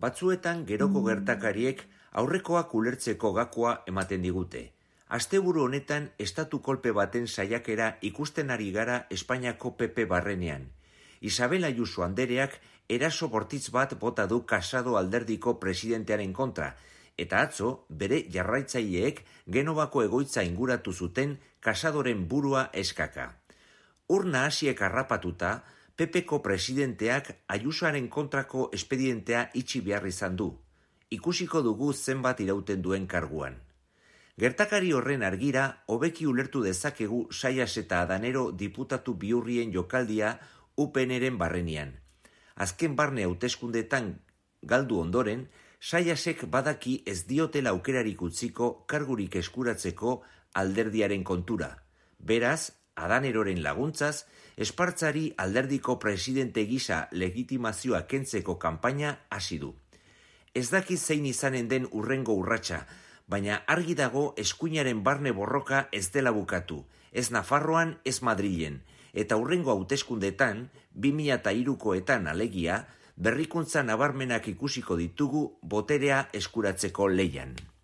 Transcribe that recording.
Batzuetan geroko gertakariek aurrekoak ulertzeko gakoa ematen digute. Asteburu honetan estatu kolpe baten saiakera ikusten ari gara Espainiako PP barrenean. Isabel Ayuso andereak eraso bortitz bat bota du Casado alderdiko presidentearen kontra, eta atzo bere jarraitzaileek Genovako egoitza inguratu zuten Casadoren burua eskaka. Urna hasiek harrapatuta, PPko presidenteak Ayusoaren kontrako espedientea itxi behar izan du. Ikusiko dugu zenbat irauten duen karguan. Gertakari horren argira, hobeki ulertu dezakegu Saias eta Adanero diputatu bihurrien jokaldia UPNren barrenian. Azken barne hauteskundetan galdu ondoren, Saiasek badaki ez diotela aukerarik utziko kargurik eskuratzeko alderdiaren kontura. Beraz, Adaneroren laguntzaz, Espartzari alderdiko presidente gisa legitimazioa kentzeko kanpaina hasi du. Ez daki zein izanen den urrengo urratsa, baina argi dago eskuinaren barne borroka ez dela bukatu, ez Nafarroan, ez Madrilen, eta urrengo hauteskundetan, 2003koetan alegia, berrikuntza nabarmenak ikusiko ditugu boterea eskuratzeko leian.